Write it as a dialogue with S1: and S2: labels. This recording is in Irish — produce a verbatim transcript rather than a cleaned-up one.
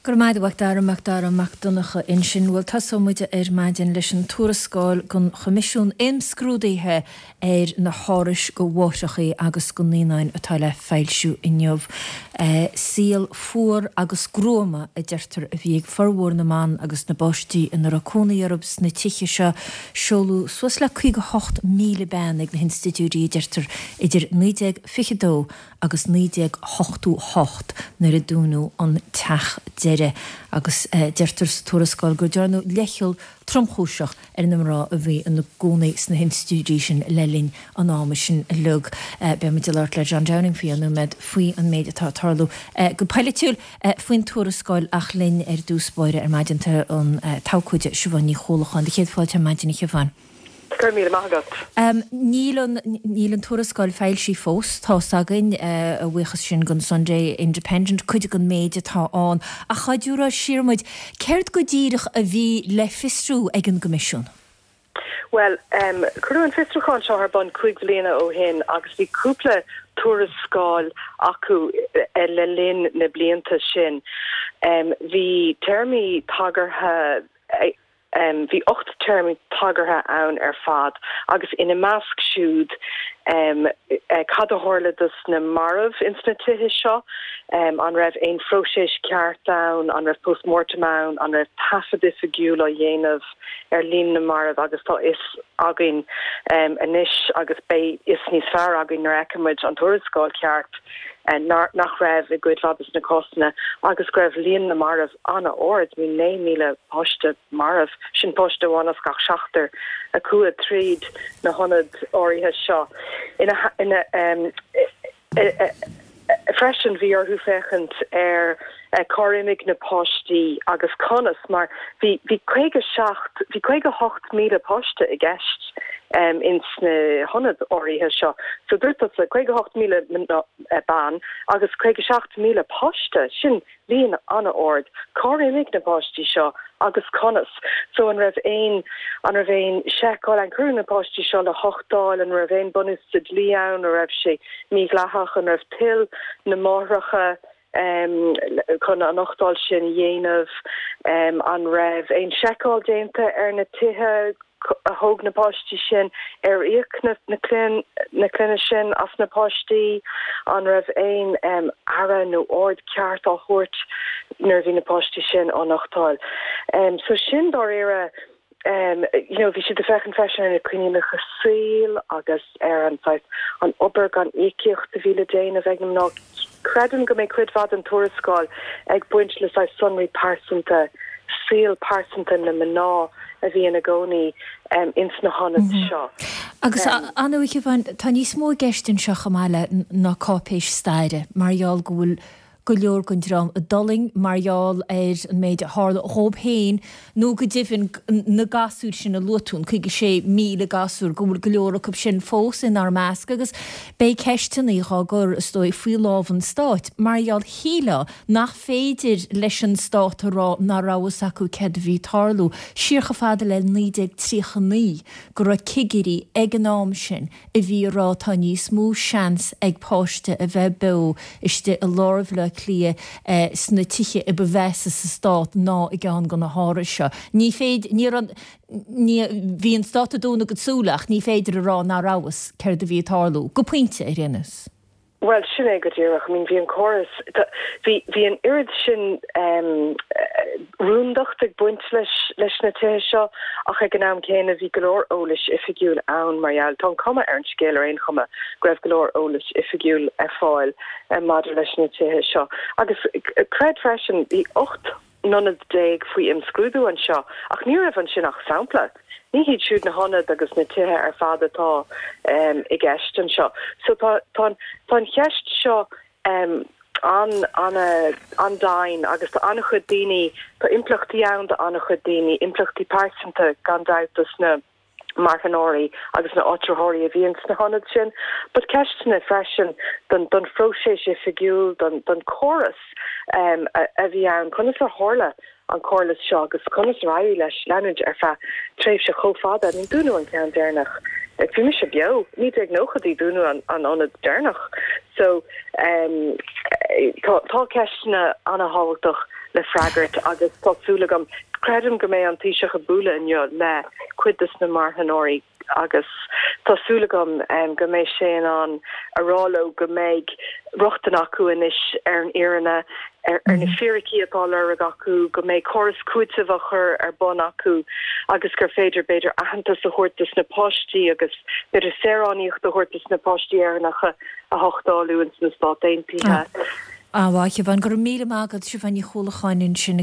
S1: Go raibh maith agat a Dara Mac Dara Mac Donncha ansin bhuel tosóidh muid ar maidin leis an tuarascáil gon Choimisiún Imscrúdaithe ar na hárais go mháithreacha agus go naíonáin atá le foilsiú inniu. E, saol fuar agus gruama a deirtear a bhí ag formhór na mban agus na bpáistí ina raibh cónaí orthu sna tithe seo seoladh suas le caoga hocht míle bean ag na hinstitiúidí a deirtear idir naoi déag fiche dó agus naoi déag ochtó hocht nuair a dúnadh an teach deiridh agus eh, deirtear sa tuarascáil gur dearnadh leithcheal tromchúiseach ar na mná a bhí ina gcónaí sna hinstitiúidí sin le linn an ama sin uilig. Eh, Beimid ag labhairt le John Downing faoi nóiméad faoi an méid atá ag tarlú eh, go polaitiúil faoin tuarascáil ach linn ar dtús báire ar maidin tá an t-abhcóide Siobhán Ní Chuallacháin. Céad fáilte ar maidin a Shiobhán.
S2: Go raibh míle maith agat.
S1: Um, níl an, níl an tuarascáil foilsithe fós tá againn uh, a bhuíochas sin gon Sunday Independent cuid den méid atá ann ach chaidúrá siarmuid céard go díreach a bhí le fiosrú ag an gCoimisiún.
S2: Well, um, cuireadh an fiosrúchán seo ar bun cúig bliana ó shin agus bhí cúpla tuarascáil acu eh, le linn na blianta sin. Um, bhí téarmaí tagartha um, bhí ocht téarmaí tagartha ann ar fad agus ina measc siúd um, uh, cad a tharla dos na mairbh ins na tithe seo um, an raibh aon phróiseas ceart ann, an raibh postmortem ann, an raibh taifead oifigiúil á dhéanamh ar líon na marbh agus tá fhios againn um, anois agus beidh fhios níos fearr againn nuair a fheicfimid an tuarascáil ceart uh, nach raibh i gcuid mhaith de na cásanna agus go raibh líon na marbh an-ard bhí naoi míle páiste marbh sin páiste amháin as gach seachtar a chuaigh tríd na hionaid áirithe seo ina ina um, e, e, freisin bhí orthu féachaint ar cár imigh na páistí agus conas mar bhí bhí caoga seacht bhí caoga hocht míle páiste i gceist um, ins na hionaid áirithe seo. So dúirt le caoga hocht míle ban agus caoga seacht míle páiste sin líon an-ard cár imigh na páistí seo agus conas. So an raibh aon an raibh aon seiceáil an cuireadh na páistí seo le huchtáil an raibh aon bunús sa dlí ann an raibh sé mídhleathach an raibh toil na máithreacha um, chun an uchtáil sin dhéanamh um, an raibh aon seiceáil déanta ar na tithe a thóg na páistí sin ar íoc na na clann na clainne sin as na páistí an raibh aon um, aire nó aird ceart á thabhairt nuair bhí na páistí sin á n-uchtáil. Um, so sin dáiríre um, you know, bhí siad ag féachaint freisin ar na coinníollacha saoil agus ar an an obair gan íocaíocht a bhí le déanamh ag na mná. Creidim go mbeidh cuid mhaith den tuarascáil ag baint le sonraí pearsanta saol pearsanta na mná a bhí ina gcónaí um, ins na hionaid mm -hmm. seo.
S1: Agus um, an tá níos mó i gceist anseo chomh maith le ná cáipéis staire mar gheall go bhfuil go leor den dream a d'fhulaing mar gheall ar an méid a tharla dhóibh féin nó go deimhin na gasúir sin a luaigh tú an caoga sé míle gasúr go bhfuil go leor acu sin fós inár measc agus beidh ceisteanna á gcur is dóigh faoi lámh an stáit mar gheall shílfeá nach féidir leis an stát a rá nach raibh fhios acu céard a bhí ag tarlú siar chomh fada le naoi déag tríocha naoi go raibh cigirí ag an am sin a bhí ag rá tá níos mó seans ag páiste a bheith beo istigh i lár Bhaile Átha Cliath eh, sna tithe a ba mheasa sa stát ná i gceann de na hárais seo. Ní féidir ní ní bhí an stát ag dúnadh a gcuid súl ach ní féidir a rá nach raibh fhios céard a bhí ag tarlú go pointe ar aon nós.
S2: Well sin é go díreach I mean bhí an córas bhí bhí an oiread sin um, rúndacht ag baint leis leis na tithe seo ach ag an am céanna bhí go leor eolais oifigiúil ann mar gheall tá an cuma ar an scéal ar aon chuma go raibh go leor eolais oifigiúil ar fáil um, maidir leis na tithe seo. Agus creid freisin bhí ocht n-ionad déag faoi imscrúdú anseo ach ní raibh ansin ach sampla. Ní hiad siúd na hionaid agus na tithe ar fad atá um, i gceist anseo. So tá tá an cheist seo um, an an an-dian agus tá an-chuid daoine tá impleachtaí ann do an-chuid daoine impleachtaí pearsanta gan dabht dos na marthanóirí agus na áitritheoirí a bhíonn sna hionaid sin, but ceisteanna freisin don don phróiseas oifigiúil don don chóras um, a, a bhí ann conas a tharla an córas seo agus conas ar éirigh leis leanúint ar feadh tréimhse chomh fada ní dúnadh an ceann deireanach. Bhí mise beo naoi déag nóchaidí dúnadh an an ionad deireanach. So um, tá tá ceisteanna an-thábhachtach le freagairt agus tá súil agam creidim go mbeidh an Taoiseach ag bualadh inniu le cuid de na marthanóirí agus tá súil agam um, go mbeidh sé in ann a rá leo go mbeidh rochtain acu anois ar an fhírinne ar, ar na mhm. fíricí atá á lorg acu go mbeidh córas cúitimh á chur ar bun acu agus gur féidir b'fhéidir aitheantas a thabhairt dos na páistí agus b'fhéidir saoránacht a thabhairt dos na páistí Éireannacha a huchtáú ins na Stáit Aontaithe.
S1: Ah. Ah, Siobhán go raibh míle maith agat Siobhán Ní Chuallacháin sin